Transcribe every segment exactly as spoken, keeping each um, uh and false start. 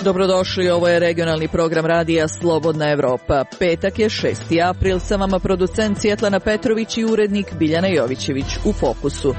Dobrodošli, ovo je regionalni program radija Slobodna Evropa. Petak je šesti april, sa vama producent Svjetlana Petrović i urednik Biljana Jovićević. U fokusu.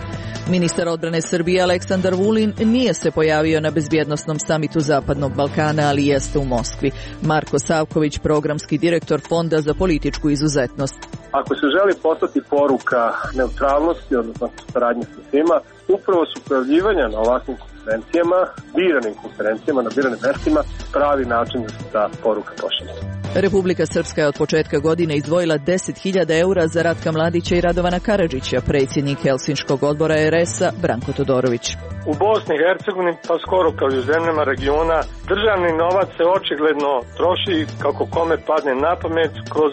Ministar odbrane Srbije Aleksandar Vulin nije se pojavio na bezbjednosnom samitu Zapadnog Balkana, ali jeste u Moskvi. Marko Savković, programski direktor Fonda za političku izuzetnost. Ako se želi poslati poruka neutralnosti, odnosno saradnje sa svima, upravo su pojavljivanja na ovakvim konferencijama, biranim konferencijama, na biranim mestima, pravi način da se ta poruka pošalje. Republika Srpska je od početka godine izdvojila deset hiljada eura za Ratka Mladića i Radovana Karadžića, predsjednik Helsinškog odbora er es a Branko Todorović. U Bosni i Hercegovini, pa skoro kao i u zemljama regiona, državni novac se očigledno troši kako kome padne na pamet kroz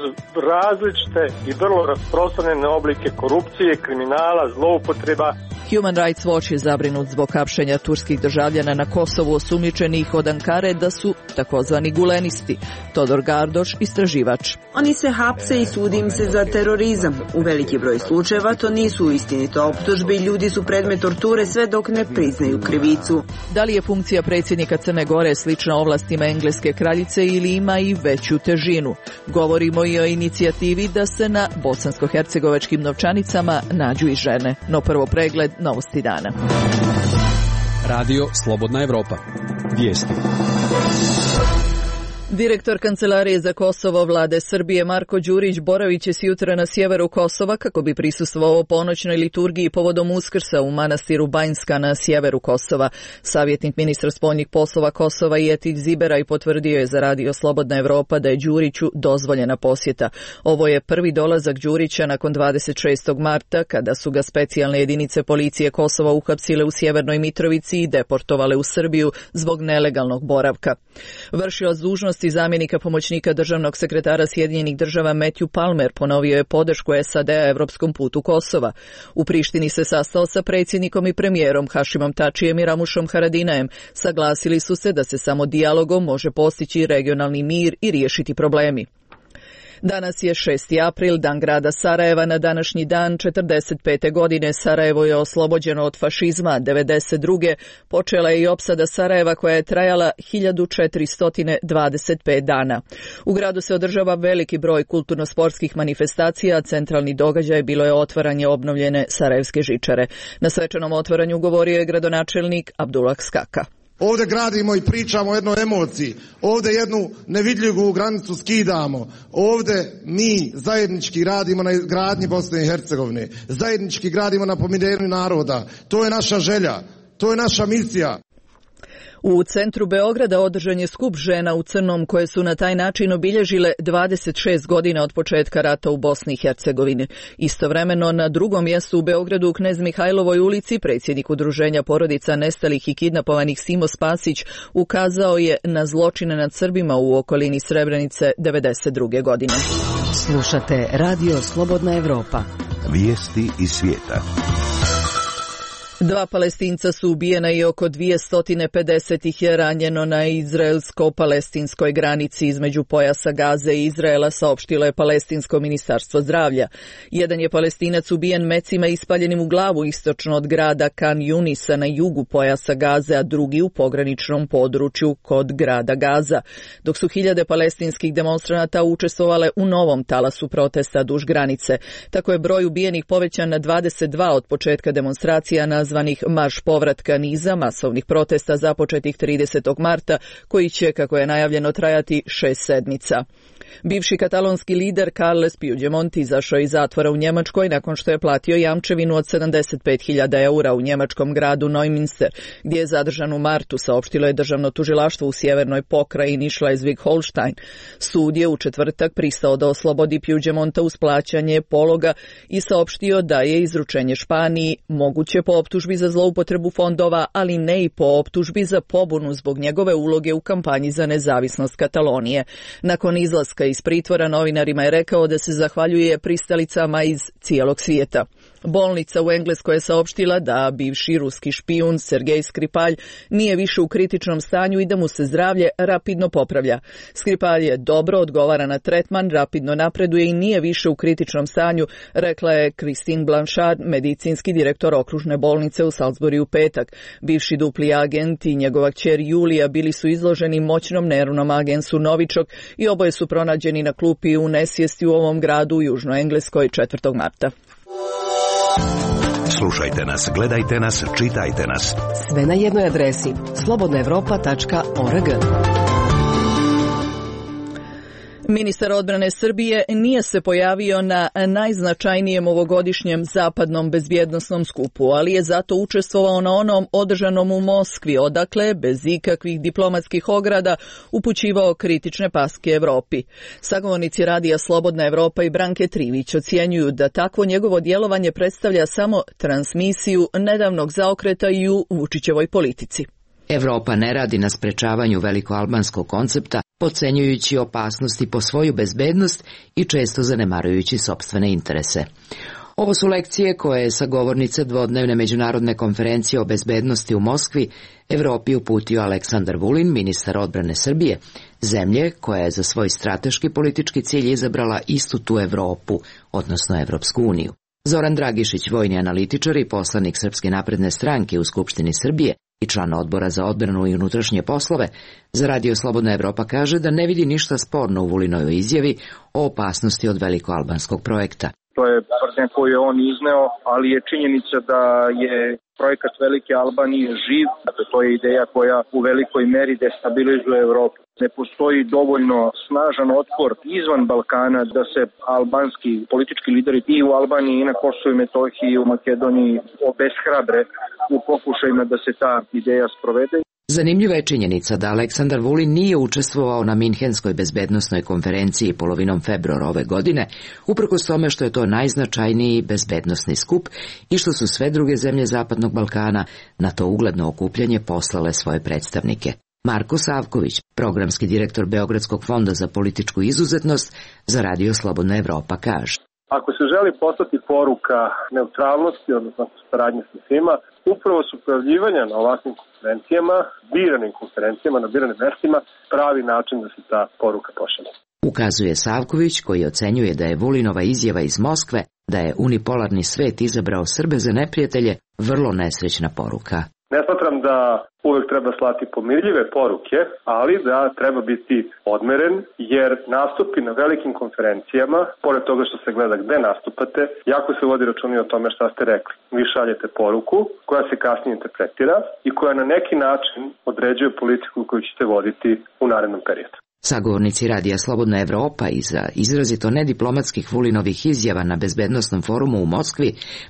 različite i vrlo rasprostranjene oblike korupcije, kriminala, zloupotreba. Human Rights Watch je zabrinut zbog hapšenja turskih državljana na Kosovu osumnjičenih od Ankare da su takozvani gulenisti. Todor Gardoš, istraživač. Oni se hapse i sudi im se za terorizam. U veliki broj slučajeva to nisu istinite optužbe i ljudi su predmet torture sve dok ne priznaju krivicu. Da li je funkcija predsjednika Crne Gore slična ovlastima engleske kraljice ili ima i veću težinu? Govorimo i o inicijativi da se na bosansko-hercegovačkim novčanicama nađu i žene. No prvo pregled novosti dana. Radio Slobodna Evropa. Vijesti. Direktor Kancelarije za Kosovo vlade Srbije Marko Đurić boravit će jutra na sjeveru Kosova kako bi prisustvovao ponoćnoj liturgiji povodom Uskrsa u manastiru Banjska na sjeveru Kosova. Savjetnik ministra spoljnih poslova Kosova Jetić Zibera i potvrdio je za Radio Slobodna Evropa da je Đuriću dozvoljena posjeta. Ovo je prvi dolazak Đurića nakon dvadeset šestog marta kada su ga specijalne jedinice policije Kosova uhapsile u Sjevernoj Mitrovici i deportovale u Srbiju zbog nelegalnog boravka. Vršilac dužnosti zamjenika pomoćnika državnog sekretara Sjedinjenih država Matthew Palmer ponovio je podršku es a de a evropskom putu Kosova. U Prištini se sastao sa predsjednikom i premijerom Hašimom Tačijem i Ramušom Haradinajem. Saglasili su se da se samo dijalogom može postići regionalni mir i riješiti problemi. Danas je šesti april, dan grada Sarajeva. Na današnji dan četrdeset pete godine Sarajevo je oslobođeno od fašizma. devedeset druge počela je i opsada Sarajeva koja je trajala hiljadu četiristo dvadeset pet dana. U gradu se održava veliki broj kulturno-sportskih manifestacija, a centralni događaj bilo je otvaranje obnovljene Sarajevske žičare. Na svečanom otvaranju govorio je gradonačelnik Abdullah Skaka. Ovdje gradimo i pričamo o jednoj emociji, ovdje jednu nevidljivu granicu skidamo, ovdje mi zajednički radimo na izgradnji Bosne i Hercegovine, zajednički gradimo na pomirenju naroda, to je naša želja, to je naša misija. U centru Beograda održan je skup žena u crnom koje su na taj način obilježile dvadeset šest godina od početka rata u Bosni i Hercegovini. Istovremeno na drugom mjestu u Beogradu u Knez Mihajlovoj ulici predsjednik udruženja porodica nestalih i kidnapovanih Simo Spasić ukazao je na zločine nad Srbima u okolini Srebrenice devedeset druge godine. Slušate Radio Slobodna Evropa. Vijesti iz svijeta. Dva Palestinca su ubijena i oko dvjesto pedeset ih je ranjeno na izraelsko-palestinskoj granici između pojasa Gaze i Izraela, saopštilo je Palestinsko ministarstvo zdravlja. Jedan je Palestinac ubijen mecima ispaljenim u glavu istočno od grada Kan Junisa na jugu pojasa Gaze, a drugi u pograničnom području kod grada Gaza, dok su hiljade palestinskih demonstranata učestvovale u novom talasu protesta duž granice. Tako je broj ubijenih povećan na dvadeset dva od početka demonstracija na zvanih Marš povratka niza masovnih protesta započetih tridesetog marta, koji će, kako je najavljeno, trajati šest sedmica. Bivši katalonski lider Carles Puigdemont izašao iz zatvora u Njemačkoj nakon što je platio jamčevinu od sedamdeset pet hiljada eura u njemačkom gradu Neumünster, gdje je zadržan u martu, saopštilo je državno tužilaštvo u sjevernoj pokrajini Schleswig-Holstein. Sud je u četvrtak pristao da oslobodi Puigdemonta uz plaćanje pologa i saopštio da je izručenje Španiji moguće po optužbi za zloupotrebu fondova, ali ne i po optužbi za pobunu zbog njegove uloge u kampanji za nezavisnost Katalonije. Nakon izlaska iz pritvora novinarima je rekao da se zahvaljuje pristalicama iz cijelog svijeta. Bolnica u Engleskoj je saopštila da bivši ruski špijun Sergej Skripalj nije više u kritičnom stanju i da mu se zdravlje rapidno popravlja. Skripalj je dobro odgovara na tretman, rapidno napreduje i nije više u kritičnom stanju, rekla je Christine Blanchard, medicinski direktor okružne bolnice u Salisbury u petak. Bivši dupli agent i njegova kćer Julija bili su izloženi moćnom nervnom agensu Novičok i oboje su pronađeni na klupi u nesvijesti u ovom gradu u Južnoj Engleskoj četvrtog marta. Slušajte nas, gledajte nas, čitajte nas. Sve na jednoj adresi slobodna evropa tačka org. Ministar odbrane Srbije nije se pojavio na najznačajnijem ovogodišnjem zapadnom bezbjednosnom skupu, ali je zato učestvovao na onom održanom u Moskvi, odakle, bez ikakvih diplomatskih ograda, upućivao kritične paske Evropi. Sagovornici radija Slobodna Evropa i Branke Trivić ocjenjuju da takvo njegovo djelovanje predstavlja samo transmisiju nedavnog zaokreta i u Vučićevoj politici. Evropa ne radi na sprečavanju velikoalbanskog koncepta, podcenjujući opasnosti po svoju bezbednost i često zanemarujući sopstvene interese. Ovo su lekcije koje je sagovornice dvodnevne međunarodne konferencije o bezbednosti u Moskvi Evropi uputio Aleksandar Vulin, ministar odbrane Srbije, zemlje koja je za svoj strateški politički cilj izabrala istu tu Evropu, odnosno Evropsku uniju. Zoran Dragišić, vojni analitičar i poslanik Srpske napredne stranke u Skupštini Srbije i član odbora za odbranu i unutrašnje poslove, za Radio Slobodna Evropa kaže da ne vidi ništa sporno u Vulinovoj izjavi o opasnosti od velikoalbanskog projekta. To je tvrdnja koju je on izneo, ali je činjenica da je projekat Velike Albanije živ, dakle to je ideja koja u velikoj meri destabilizuje Evropu. Ne postoji dovoljno snažan otpor izvan Balkana da se albanski politički lideri i u Albaniji i na Kosovu i Metohiji i u Makedoniji obeshrabre u pokušajima da se ta ideja sprovede. Zanimljiva je činjenica da Aleksandar Vulin nije učestvovao na Minhenskoj bezbednosnoj konferenciji polovinom februara ove godine, uprkos tome što je to najznačajniji bezbednosni skup i što su sve druge zemlje Zapadnog Balkana na to ugledno okupljanje poslale svoje predstavnike. Marko Savković, programski direktor Beogradskog fonda za političku izuzetnost, za Radio Slobodna Evropa kaže. Ako se želi poslati poruka neutralnosti, odnosno saradnje sa svima, upravo su pojavljivanja na ovakvim konferencijama, biranim konferencijama, na biranim mestima, pravi način da se ta poruka pošalje. Ukazuje Savković, koji ocenjuje da je Vulinova izjava iz Moskve, da je unipolarni svet izabrao Srbe za neprijatelje, vrlo nesrećna poruka. Ne smatram da uvek treba slati pomirljive poruke, ali da treba biti odmeren, jer nastupi na velikim konferencijama, pored toga što se gleda gde nastupate, jako se vodi računa o tome šta ste rekli. Vi šaljete poruku koja se kasnije interpretira i koja na neki način određuje politiku koju ćete voditi u narednom periodu. Sagovornici Radija Slobodna Evropa iza izrazito nediplomatskih Vulinovih izjava na bezbednosnom forumu u Moskvi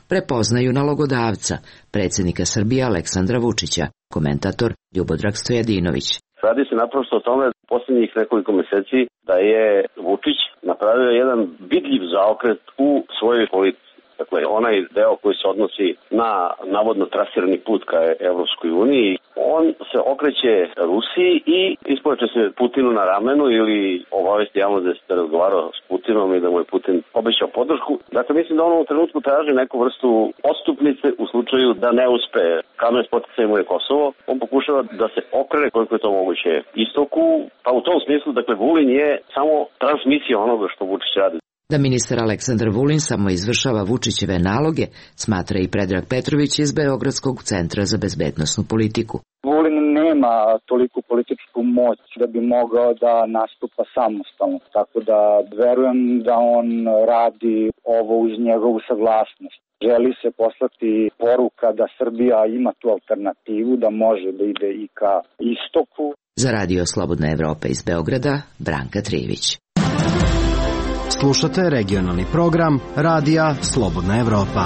prepoznaju nalogodavca, predsjednika Srbije Aleksandra Vučića, komentator Ljubodrag Stojadinović. Radi se naprosto o tome posljednjih nekoliko mjeseci da je Vučić napravio jedan vidljiv zaokret u svojoj politici. Dakle, onaj deo koji se odnosi na navodno trasirani put ka Evropskoj uniji, on se okreće Rusiji i ispoveće se Putinu na ramenu ili obavesti javno da se razgovarao s Putinom i da mu je Putin obećao podršku. Dakle, mislim da on u trenutku traži neku vrstu odstupnice u slučaju da ne uspe kamen spoticajem je Kosovo. On pokušava da se okrene koliko je to moguće istoku, pa u tom smislu, dakle, Vulin je samo transmisija onoga što Vučić radi. Da ministar Aleksandar Vulin samo izvršava Vučićeve naloge, smatra i Predrag Petrović iz Beogradskog centra za bezbednosnu politiku. Vulin nema toliku političku moć da bi mogao da nastupa samostalno, tako da verujem da on radi ovo uz njegovu saglasnost. Želi se poslati poruka da Srbija ima tu alternativu, da može da ide i ka istoku. Za Radio Slobodna Evropa iz Beograda, Branka Trivić. Slušate regionalni program Radija Slobodna Evropa.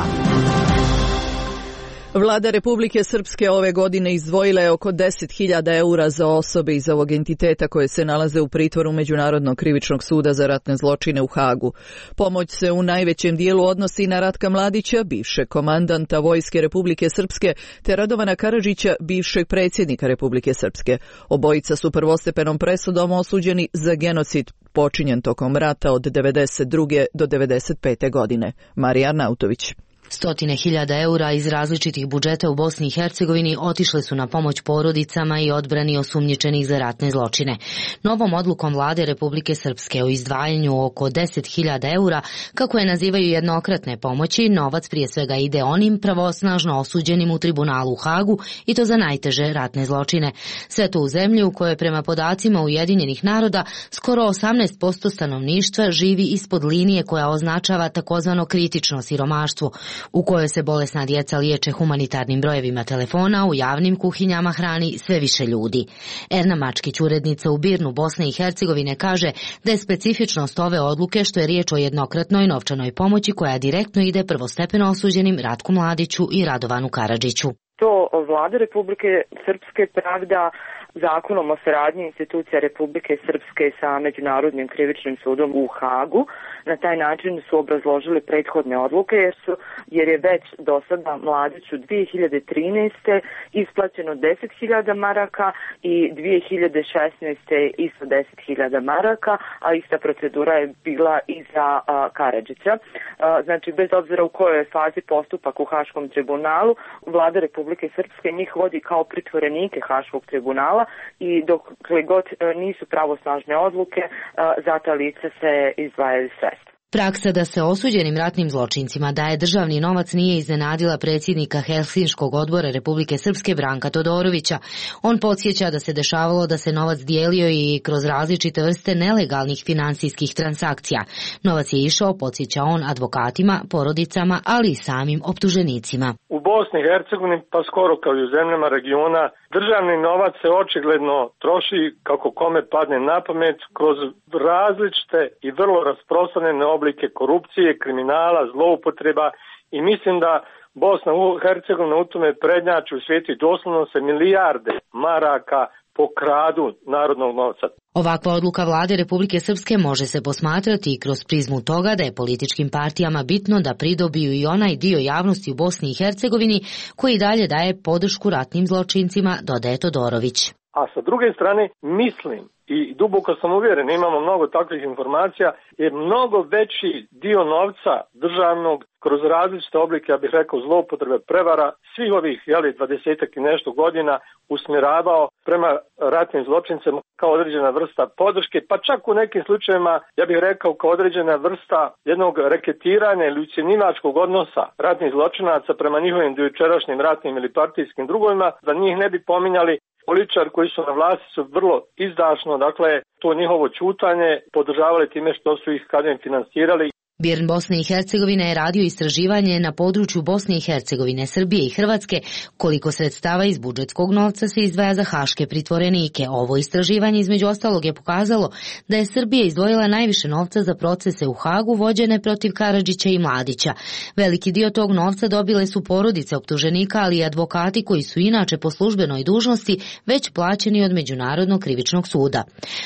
Vlada Republike Srpske ove godine izdvojila je oko deset hiljada eura za osobe iz ovog entiteta koje se nalaze u pritvoru Međunarodnog krivičnog suda za ratne zločine u Hagu. Pomoć se u najvećem dijelu odnosi na Ratka Mladića, bivšeg komandanta Vojske Republike Srpske, te Radovana Karadžića, bivšeg predsjednika Republike Srpske. Obojica su prvostepenom presudom osuđeni za genocid počinjen tokom rata od devedeset druge do devedeset pete godine. Marija Arnautović. Stotine hiljada eura iz različitih budžeta u Bosni i Hercegovini otišle su na pomoć porodicama i odbrani osumnjičenih za ratne zločine. Novom odlukom vlade Republike Srpske o izdvajanju oko deset hiljada eura, kako je nazivaju jednokratne pomoći, novac prije svega ide onim pravosnažno osuđenim u tribunalu u Hagu i to za najteže ratne zločine. Sve to u zemlji u kojoj prema podacima Ujedinjenih naroda skoro osamnaest posto stanovništva živi ispod linije koja označava takozvano kritično siromaštvo, u kojoj se bolesna djeca liječe humanitarnim brojevima telefona, u javnim kuhinjama hrani sve više ljudi. Erna Mačkić, urednica u Birnu Bosne i Hercegovine, kaže da je specifičnost ove odluke što je riječ o jednokratnoj novčanoj pomoći koja direktno ide prvostepeno osuđenim Ratku Mladiću i Radovanu Karadžiću. To vlada Republike Srpske pravda zakonom o saradnji institucija Republike Srpske sa Međunarodnim krivičnim sudom u Hagu. Na taj način su obrazložili prethodne odluke jer, su, jer je već do sada Mladiću dvije hiljade trinaeste. isplaćeno deset hiljada maraka i dvije hiljade šesnaeste. isto deset hiljada maraka, a ista procedura je bila i za a, Karadžića. A, znači, bez obzira u kojoj je fazi postupak u Haškom tribunalu, vlada Republike Srpske njih vodi kao pritvorenike Haškog tribunala i dokle god nisu pravosnažne odluke, za ta lica se izdvajaju sredstva. Praksa da se osuđenim ratnim zločincima daje državni novac nije iznenadila predsjednika Helsinškog odbora Republike Srpske Branka Todorovića. On podsjeća da se dešavalo da se novac dijelio i kroz različite vrste nelegalnih finansijskih transakcija. Novac je išao, podsjeća on, advokatima, porodicama, ali i samim optuženicima. U Bosni i Hercegovini, pa skoro kao i u zemljama regiona, državni novac se očigledno troši kako kome padne na pamet kroz različite i vrlo rasprostranjene oblike korupcije, kriminala, zloupotreba i mislim da Bosna i Hercegovina u tome prednjači u svijetu i doslovno se milijarde maraka pokradu narodnog novca. Ovakva odluka vlade Republike Srpske može se posmatrati i kroz prizmu toga da je političkim partijama bitno da pridobiju i onaj dio javnosti u Bosni i Hercegovini koji dalje daje podršku ratnim zločincima, dodaje Todorović. A sa druge strane, mislim i duboko sam uvjeren, imamo mnogo takvih informacija, je mnogo veći dio novca državnog kroz različite oblike, ja bih rekao, zloupotrebe, prevara, svih ovih, jeli, dvadesetak i nešto godina usmjeravao prema ratnim zločincima kao određena vrsta podrške, pa čak u nekim slučajevima, ja bih rekao, kao određena vrsta jednog reketiranja ili ucjenjivačkog odnosa ratnih zločinaca prema njihovim dojučerašnjim ratnim ili partijskim drugovima, da njih ne bi pominjali. Političari koji su na vlasti su vrlo izdašno, dakle, to njihovo ćutanje podržavali time što su ih kadem finansirali. Birn Bosne i Hercegovine je radio istraživanje na području Bosne i Hercegovine, Srbije i Hrvatske koliko sredstava iz budžetskog novca se izdvaja za haške pritvorenike. Ovo istraživanje između ostalog je pokazalo da je Srbija izdvojila najviše novca za procese u Hagu vođene protiv Karadžića i Mladića. Veliki dio tog novca dobile su porodice optuženika, ali i advokati koji su inače po službenoj dužnosti već plaćeni od Međunarodnog krivičnog suda.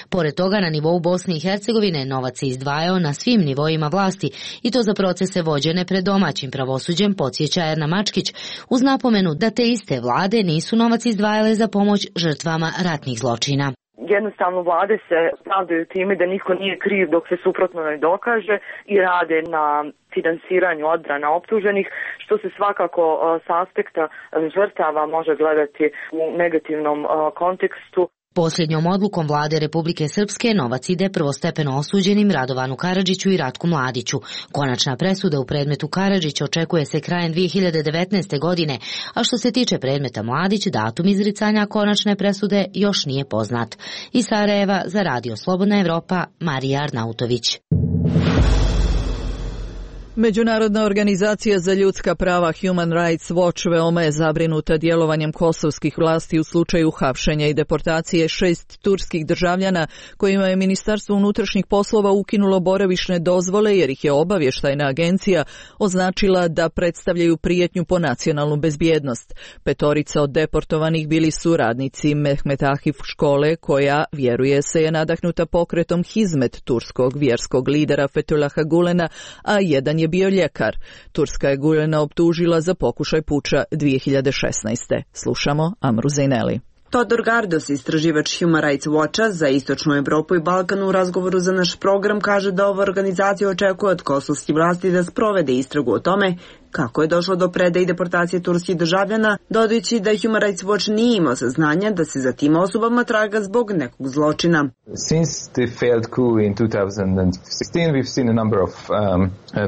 Pored toga, na nivou Bosne i Hercegovine novac se izdvajao na svim nivoima vlasti i to za procese vođene pred domaćim pravosuđem, podsjeća Erna Mačkić, uz napomenu da te iste vlade nisu novac izdvajale za pomoć žrtvama ratnih zločina. Jednostavno vlade se pravdaju time da niko nije kriv dok se suprotno ne dokaže i rade na finansiranju odbrana optuženih, što se svakako s aspekta žrtava može gledati u negativnom kontekstu. Posljednjom odlukom vlade Republike Srpske novac ide prvostepeno osuđenim Radovanu Karadžiću i Ratku Mladiću. Konačna presuda u predmetu Karadžić očekuje se krajem dvije hiljade devetnaeste. godine, a što se tiče predmeta Mladić, datum izricanja konačne presude još nije poznat. Iz Sarajeva za Radio Slobodna Evropa, Marija Arnautović. Međunarodna organizacija za ljudska prava Human Rights Watch veoma je zabrinuta djelovanjem kosovskih vlasti u slučaju hapšenja i deportacije šest turskih državljana kojima je Ministarstvo unutrašnjih poslova ukinulo boravišne dozvole jer ih je obavještajna agencija označila da predstavljaju prijetnju po nacionalnu bezbjednost. Petorica od deportovanih bili su radnici Mehmet Ahif škole koja, vjeruje se, je nadahnuta pokretom Hizmet turskog vjerskog lidera Fethullaha Gulena, a jedan je bio ljekar. Turska je Gulena optužila za pokušaj puča dvije hiljade šesnaeste. Slušamo Amru Zejneli. Todor Gardos, istraživač Human Rights Watcha za Istočnu Evropu i Balkan, u razgovoru za naš program kaže da ova organizacija očekuje od kosovskih vlasti da sprovede istragu o tome kako je došlo do predaje i deportacije turskih državljana, dodajući da Human Rights Watch nije imao saznanja da se za tim osobama traga zbog nekog zločina. Since the failed coup in two thousand sixteen, we've seen a number of um,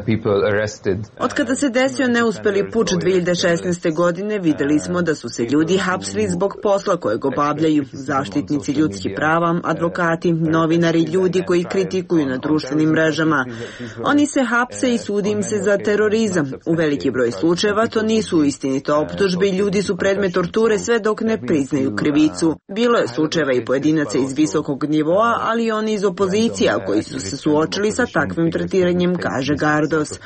people arrested. Od kada se desio neuspeli puč dve hiljade šesnaeste. godine, videli smo da su se ljudi hapsili zbog posla kojeg obavljaju, zaštitnici ljudskih prava, advokati, novinari, ljudi koji kritikuju na društvenim mrežama. Oni se hapse i sudi im se za terorizam. U veliki broj slučajeva to nisu istinito optužbe i ljudi su predmet torture sve dok ne priznaju krivicu. Bilo je slučajeva i pojedinaca iz visokog nivoa, ali i oni iz opozicija koji su se suočili sa takvim tretiranjem, kaže Gardos.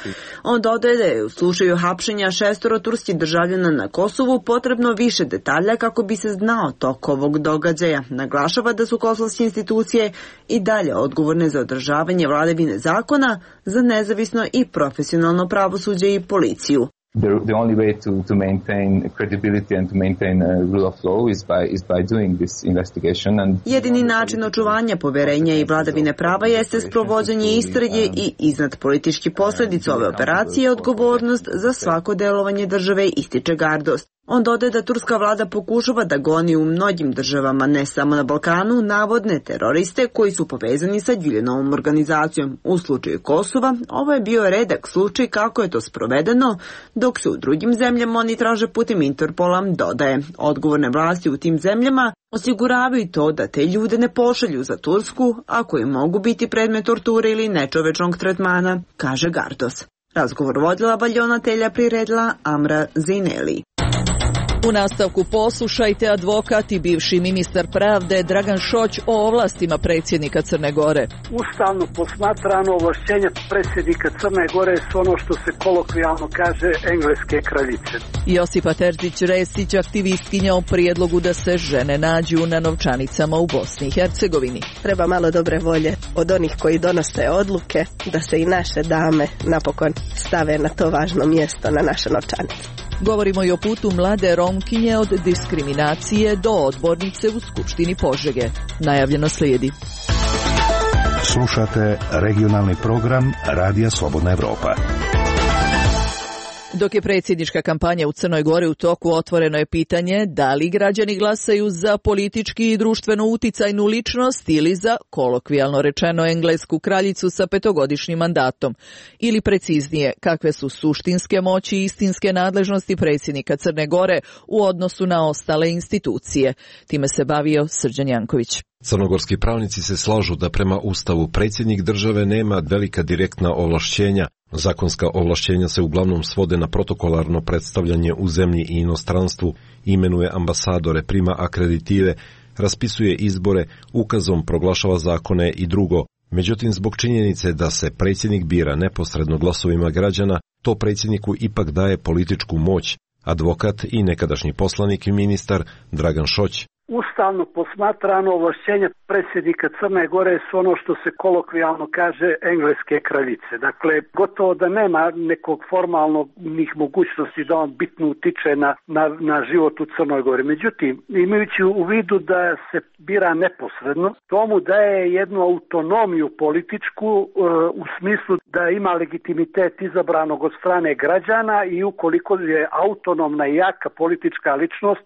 On dodaje da je u slučaju hapšenja šestoro turskih državljana na Kosovu potrebno više detalja kako bi se znao tok ovog događaja. Naglašava da su kosovske institucije i dalje odgovorne za održavanje vladavine zakona, za nezavisno i profesionalno pravosuđe i policiju. The, the only way to, to maintain credibility and to maintain a rule of law is by, is by doing this investigation. And jedini način očuvanja poverenja i vladavine prava jeste sprovođenje istrage i iznad politički posljedica ove operacije odgovornost za svako delovanje države, ističe Gardos. On dodaje da turska vlada pokušava da goni u mnogim državama, ne samo na Balkanu, navodne teroriste koji su povezani sa Güljenovom organizacijom. U slučaju Kosova ovo je bio redak slučaj kako je to sprovedeno, dok se u drugim zemljama oni traže putem Interpola, dodaje. Odgovorne vlasti u tim zemljama osiguravaju to da te ljude ne pošalju za Tursku, ako im mogu biti predmet torture ili nečovečnog tretmana, kaže Gardos. Razgovor vodila valjonatelja priredila Amra Zeineli. U nastavku poslušajte advokat i bivši ministar pravde Dragan Šoć o ovlastima predsjednika Crne Gore. Ustavno posmatrano ovlašćenja predsjednika Crne Gore su ono što se kolokvijalno kaže engleske kraljice. Josipa Terzić-Resić, aktivistkinja o prijedlogu da se žene nađu na novčanicama u Bosni i Hercegovini. Treba malo dobre volje od onih koji donose odluke da se i naše dame napokon stave na to važno mjesto na naše novčanice. Govorimo i o putu mlade Romkinje od diskriminacije do odbornice u Skupštini Požege. Najavljeno slijedi. Slušate regionalni program Radija Slobodna Evropa. Dok je predsjednička kampanja u Crnoj Gori u toku, otvoreno je pitanje da li građani glasaju za politički i društveno uticajnu ličnost ili za, kolokvijalno rečeno, englesku kraljicu sa petogodišnjim mandatom. Ili preciznije, kakve su suštinske moći i istinske nadležnosti predsjednika Crne Gore u odnosu na ostale institucije. Time se bavio Srđan Janković. Crnogorski pravnici se slažu da prema Ustavu predsjednik države nema velika direktna ovlašćenja. Zakonska ovlašćenja se uglavnom svode na protokolarno predstavljanje u zemlji i inostranstvu, imenuje ambasadore, prima akreditive, raspisuje izbore, ukazom proglašava zakone i drugo. Međutim, zbog činjenice da se predsjednik bira neposredno glasovima građana, to predsjedniku ipak daje političku moć. Advokat i nekadašnji poslanik i ministar Dragan Šoć. Ustavno posmatrano ovlašćenja predsjednika Crne Gore su ono što se kolokvijalno kaže engleske kraljice. Dakle, gotovo da nema nekog formalnih mogućnosti da on bitno utiče na, na, na život u Crnoj Gori. Međutim, imajući u vidu da se bira neposredno, to mu daje jednu autonomiju političku e, u smislu da ima legitimitet izabranog od strane građana i ukoliko je autonomna i jaka politička ličnost,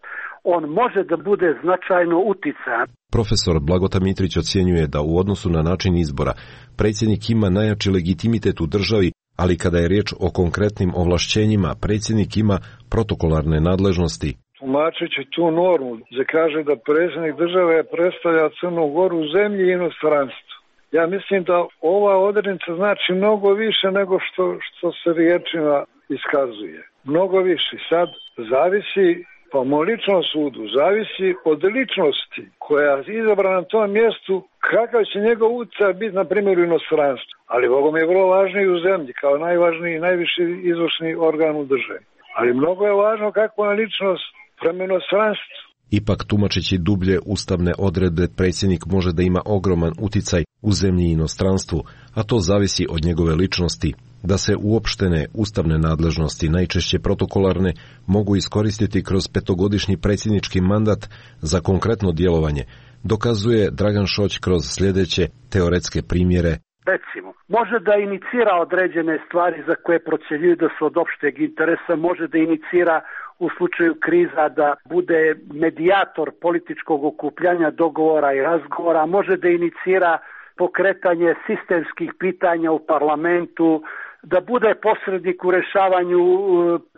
on može da bude značajno uticajan. Profesor Blagota Mitrić ocjenjuje da u odnosu na način izbora predsjednik ima najjači legitimitet u državi, ali kada je riječ o konkretnim ovlašćenjima, predsjednik ima protokolarne nadležnosti. Tumačeći tu normu, da kaže da predsjednik države predstavlja Crnu Goru u zemlji i inostranstvu. Ja mislim da ova odrednica znači mnogo više nego što, što se riječima iskazuje. Mnogo više. Sad zavisi, po mom ličnom sudu, zavisi od ličnosti koja je izabrana na tom mjestu, kakav će njegov utjecaj biti, na primjer, u inostranstvu. Ali Bogom je vrlo važno i u zemlji, kao najvažniji i najviši izvršni organ u državi. Ali mnogo je važno kakva je ličnost prema inostranstvu. Ipak, tumačeći dublje ustavne odredbe, predsjednik može da ima ogroman uticaj u zemlji i inostranstvu, a to zavisi od njegove ličnosti. Da se uopštene ustavne nadležnosti, najčešće protokolarne, mogu iskoristiti kroz petogodišnji predsjednički mandat za konkretno djelovanje, dokazuje Dragan Šoć kroz sljedeće teoretske primjere. Recimo, može da inicira određene stvari za koje procjenjuju da su od opšteg interesa, može da inicira u slučaju kriza da bude medijator političkog okupljanja, dogovora i razgovora, može da inicira pokretanje sistemskih pitanja u parlamentu, da bude posrednik u rešavanju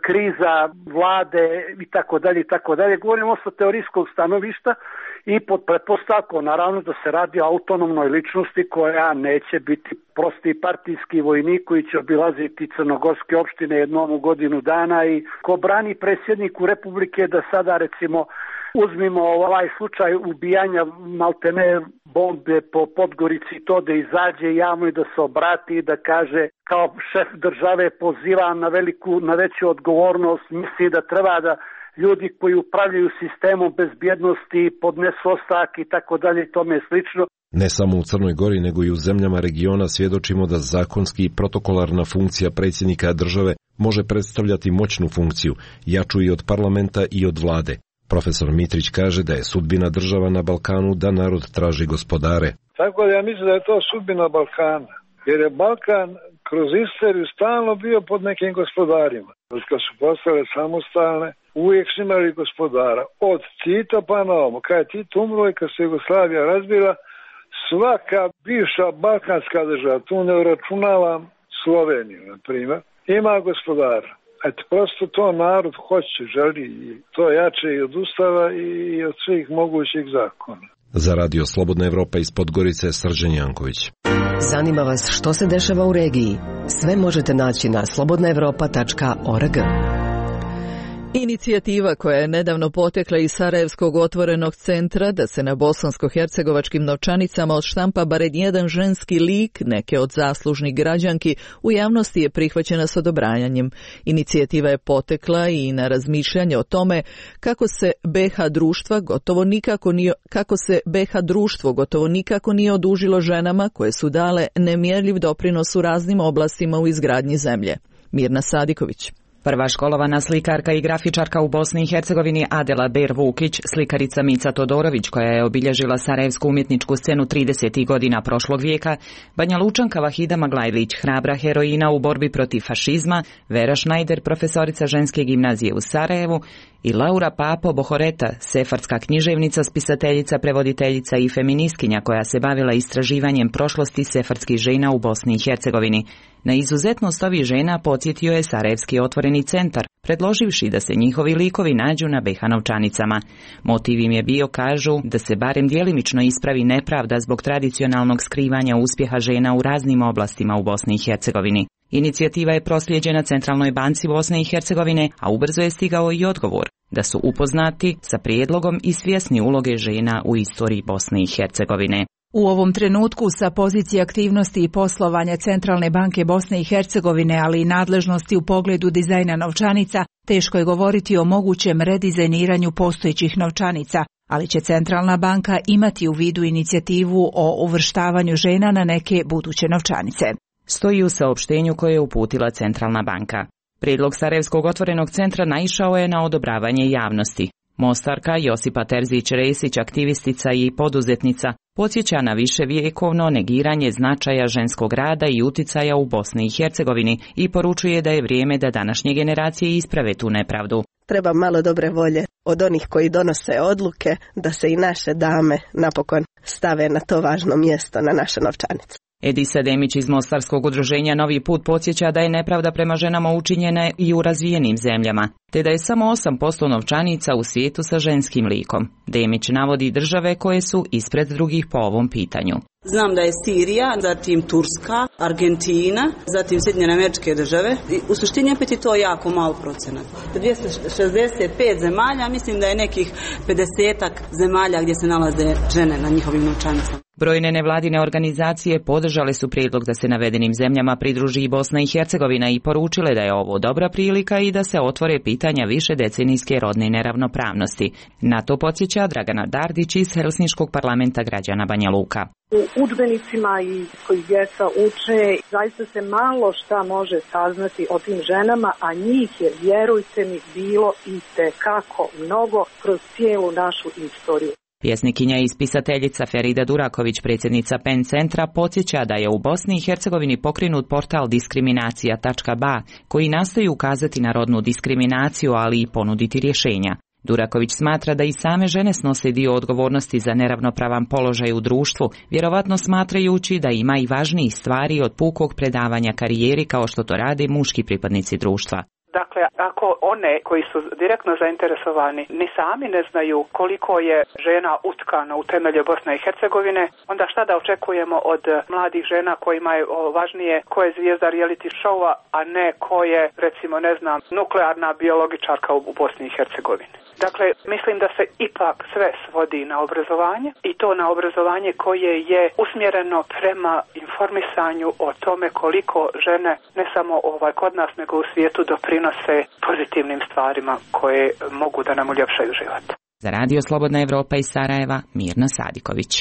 kriza vlade i tako dalje i tako dalje. Govorimo sa teorijskog stanovišta i pod pretpostavkom naravno da se radi o autonomnoj ličnosti koja neće biti prosti partijski vojnik koji će obilaziti crnogorske opštine jednom u godinu dana i ko brani predsjedniku Republike da sada recimo uzmimo ovaj slučaj ubijanja maltene bombe po Podgorici, to da izađe javno i da se obrati i da kaže kao šef države poziva na veliku, na veću odgovornost, misli da treba da ljudi koji upravljaju sistemom bezbjednosti podnesu ostavke i tako dalje i tome slično. Ne samo u Crnoj Gori, nego i u zemljama regiona svjedočimo da zakonski i protokolarna funkcija predsjednika države može predstavljati moćnu funkciju, jaču i od parlamenta i od vlade. Profesor Mitrić kaže da je sudbina država na Balkanu da narod traži gospodare. Tako da ja mislim da je to sudbina Balkana, jer je Balkan kroz istoriju stalno bio pod nekim gospodarima. Kad su postale samostalne, uvijek su imali gospodara. Od Tita pa na ovom. Kad je Tito umro i kad se Jugoslavija razbila, svaka bivša balkanska država, tu ne uračunavam Sloveniju, na primjer, ima gospodara. Eto, prosto to narod hoće, želi i to jače i od Ustava i od svih mogućih zakona. Za Radio Slobodna Evropa iz Podgorice, Srđan Janković. Zanima vas što se dešava u regiji? Sve možete naći na slobodna evropa tačka org. Inicijativa koja je nedavno potekla iz Sarajevskog otvorenog centra da se na bosansko-hercegovačkim novčanicama odštampa barem jedan ženski lik neke od zaslužnih građanki u javnosti je prihvaćena s odobrajanjem. Inicijativa je potekla i na razmišljanje o tome kako se be ha društva gotovo nikako nije, kako se be ha društvo gotovo nikako nije odužilo ženama koje su dale nemjerljiv doprinos u raznim oblastima u izgradnji zemlje. Mirna Sadiković. Prva školovana slikarka i grafičarka u Bosni i Hercegovini Adela Ber Vukić, slikarica Mica Todorović koja je obilježila sarajevsku umjetničku scenu tridesetih godina prošlog vijeka, Banja Lučanka Vahida Maglajlić, hrabra heroina u borbi protiv fašizma, Vera Šnajder, profesorica ženske gimnazije u Sarajevu i Laura Papo Bohoreta, sefardska književnica, spisateljica, prevoditeljica i feministkinja koja se bavila istraživanjem prošlosti sefardskih žena u Bosni i Hercegovini. Na izuzetnost ovih žena podsjetio je Sarajevski otvoreni centar, predloživši da se njihovi likovi nađu na be ha novčanicama. Motiv im je bio, kažu, da se barem djelimično ispravi nepravda zbog tradicionalnog skrivanja uspjeha žena u raznim oblastima u Bosni i Hercegovini. Inicijativa je proslijeđena Centralnoj banci Bosne i Hercegovine, a ubrzo je stigao i odgovor da su upoznati sa prijedlogom i svjesni uloge žena u istoriji Bosne i Hercegovine. U ovom trenutku sa pozicije aktivnosti i poslovanja Centralne banke Bosne i Hercegovine, ali i nadležnosti u pogledu dizajna novčanica, teško je govoriti o mogućem redizajniranju postojećih novčanica, ali će Centralna banka imati u vidu inicijativu o uvrštavanju žena na neke buduće novčanice. Stoji u saopštenju koje je uputila Centralna banka. Prijedlog Sarajevskog otvorenog centra naišao je na odobravanje javnosti. Mostarka Josipa Terzić-Resić, aktivistica i poduzetnica, podsjeća na viševjekovno negiranje značaja ženskog rada i uticaja u Bosni i Hercegovini i poručuje da je vrijeme da današnje generacije isprave tu nepravdu. Treba malo dobre volje od onih koji donose odluke da se i naše dame napokon stave na to važno mjesto na naše novčanice. Edisa Demić iz Mostarskog udruženja Novi put podsjeća da je nepravda prema ženama učinjena i u razvijenim zemljama, te da je samo osam posto novčanica u svijetu sa ženskim likom. Demić navodi države koje su ispred drugih po ovom pitanju. Znam da je Sirija, zatim Turska, Argentina, zatim Sjedinjene Američke Države. U suštini opet je to jako malo procenat. dvjesto šezdeset pet zemalja, mislim da je nekih pedesetak zemalja gdje se nalaze žene na njihovim novčanicama. Brojne nevladine organizacije podržale su prijedlog da se navedenim zemljama pridruži i Bosna i Hercegovina i poručile da je ovo dobra prilika i da se otvore pitanja više decenijske rodne neravnopravnosti. Na to podsjeća Dragana Dardić iz Helsinškog parlamenta građana Banja Luka. U udžbenicima i koji djeca uče, zaista se malo šta može saznati o tim ženama, a njih je, vjerujte mi, bilo i tekako mnogo kroz cijelu našu istoriju. Pjesnikinja i spisateljica Ferida Duraković, predsjednica Pen centra, podsjeća da je u Bosni i Hercegovini pokrenut portal diskriminacija tačka ba koji nastoji ukazati na rodnu diskriminaciju, ali i ponuditi rješenja. Duraković smatra da i same žene snose dio odgovornosti za neravnopravan položaj u društvu, vjerovatno smatrajući da ima i važnijih stvari od pukog predavanja karijeri kao što to rade muški pripadnici društva. Dakle, ako one koji su direktno zainteresovani ni sami ne znaju koliko je žena utkano u temelje Bosne i Hercegovine, onda šta da očekujemo od mladih žena kojima je važnije ko je zvijezda reality showa, a ne ko je, recimo, ne znam, nuklearna biologičarka u Bosni i Hercegovini. Dakle, mislim da se ipak sve svodi na obrazovanje i to na obrazovanje koje je usmjereno prema informisanju o tome koliko žene, ne samo ovaj kod nas, nego u svijetu doprinose pozitivnim stvarima koje mogu da nam uljepšaju život. Za Radio Slobodna Evropa iz Sarajeva, Mirna Sadiković.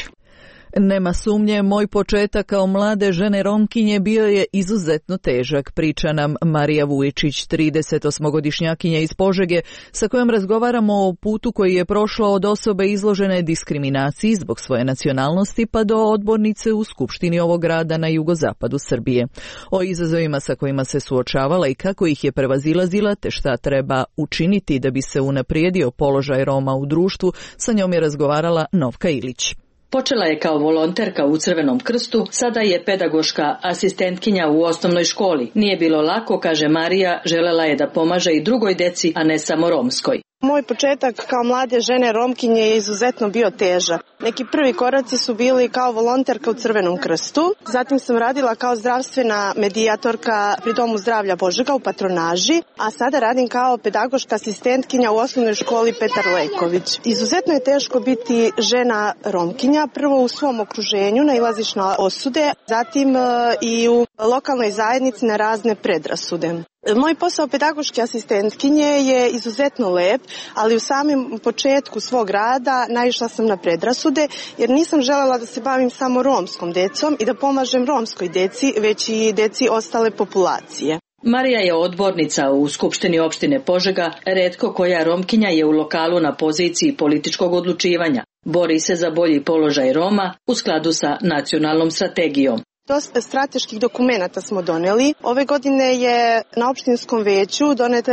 Nema sumnje, moj početak kao mlade žene Romkinje bio je izuzetno težak, priča nam Marija Vujičić, tridesetosmogodišnjakinja iz Požege, sa kojom razgovaramo o putu koji je prošla od osobe izložene diskriminaciji zbog svoje nacionalnosti pa do odbornice u Skupštini ovog grada na jugozapadu Srbije. O izazovima sa kojima se suočavala i kako ih je prevazilazila te šta treba učiniti da bi se unaprijedio položaj Roma u društvu, sa njom je razgovarala Novka Ilić. Počela je kao volonterka u Crvenom krstu, sada je pedagoška asistentkinja u osnovnoj školi. Nije bilo lako, kaže Marija, želela je da pomaže i drugoj deci, a ne samo romskoj. Moj početak kao mlade žene Romkinje je izuzetno bio težak. Neki prvi koraci su bili kao volonterka u Crvenom krstu, zatim sam radila kao zdravstvena medijatorka pri Domu zdravlja Požega u patronaži, a sada radim kao pedagoška asistentkinja u osnovnoj školi Petar Leković. Izuzetno je teško biti žena Romkinja, prvo u svom okruženju nailaziš na osude, zatim i u lokalnoj zajednici na razne predrasude. Moj posao pedagoške asistentkinje je izuzetno lep, ali u samom početku svog rada naišla sam na predrasude jer nisam želela da se bavim samo romskom decom i da pomažem romskoj deci, već i deci ostale populacije. Marija je odbornica u Skupštini opštine Požega, retko koja Romkinja je u lokalu na poziciji političkog odlučivanja. Bori se za bolji položaj Roma u skladu sa nacionalnom strategijom. Dosta strateških dokumenata smo doneli. Ove godine je na opštinskom veću donet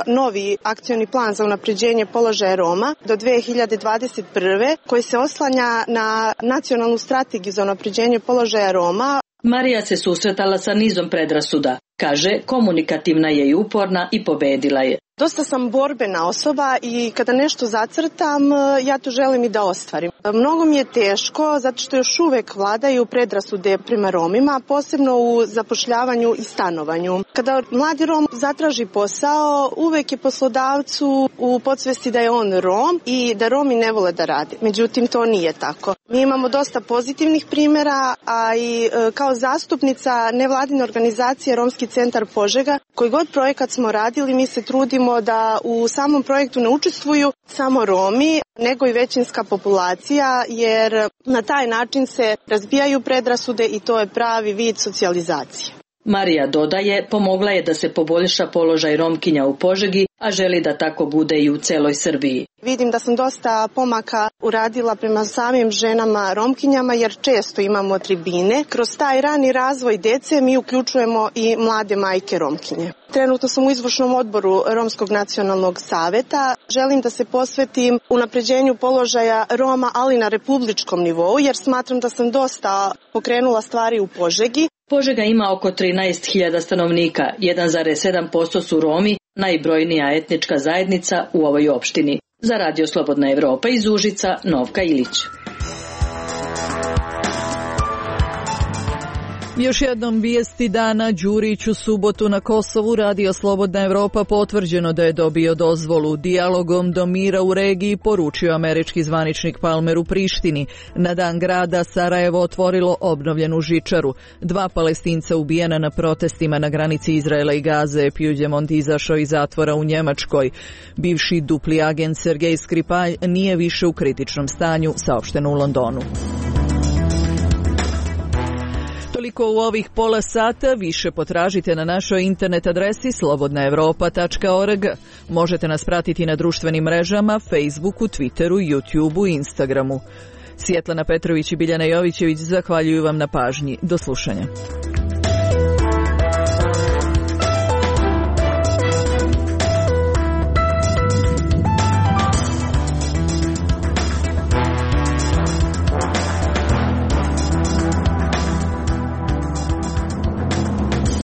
novi akcioni plan za unapređenje položaja Roma do dve hiljade dvadeset prve koji se oslanja na nacionalnu strategiju za unapređenje položaja Roma. Marija se susretala sa nizom predrasuda. Kaže, komunikativna je i uporna i pobedila je. Dosta sam borbena osoba i kada nešto zacrtam, ja to želim i da ostvarim. Mnogo mi je teško zato što još uvek vladaju predrasude prema Romima, posebno u zapošljavanju i stanovanju. Kada mladi Rom zatraži posao, uvek je poslodavcu u podsvesti da je on Rom i da Romi ne vole da rade. Međutim, to nije tako. Mi imamo dosta pozitivnih primjera, a i kao zastupnica nevladine organizacije Romski centar Požega, koji god projekat smo radili, mi se trudimo da u samom projektu ne učestvuju samo Romi, nego i većinska populacija, jer na taj način se razbijaju predrasude i to je pravi vid socijalizacije. Marija dodaje, pomogla je da se poboljša položaj Romkinja u Požegi, a želi da tako bude i u celoj Srbiji. Vidim da sam dosta pomaka uradila prema samim ženama Romkinjama, jer često imamo tribine. Kroz taj rani razvoj dece mi uključujemo i mlade majke Romkinje. Trenutno sam u izvršnom odboru Romskog nacionalnog saveta. Želim da se posvetim unapređenju položaja Roma, ali na republičkom nivou, jer smatram da sam dosta pokrenula stvari u Požegi. Požega ima oko trinaest hiljada stanovnika, jedan zarez sedam posto su Romi, najbrojnija etnička zajednica u ovoj opštini. Za Radio Slobodna Evropa iz Užica, Novka Ilić. Još jednom vijesti dana. Đurić u subotu na Kosovu. Radio Slobodna Evropa potvrđeno da je dobio dozvolu. Dijalogom do mira u regiji, poručio američki zvaničnik Palmer u Prištini. Na dan grada Sarajevo otvorilo obnovljenu žičaru. Dva Palestinca ubijena na protestima na granici Izraela i Gaze. Puigdemont izašao iz zatvora u Njemačkoj. Bivši dupli agent Sergej Skripalj nije više u kritičnom stanju, saopšteno u Londonu. Toliko u ovih pola sata, više potražite na našoj internet adresi slobodna evropa tačka org. Možete nas pratiti na društvenim mrežama, Facebooku, Twitteru, YouTubeu i Instagramu. Svjetlana Petrović i Biljana Jovićević zahvaljuju vam na pažnji. Do slušanja.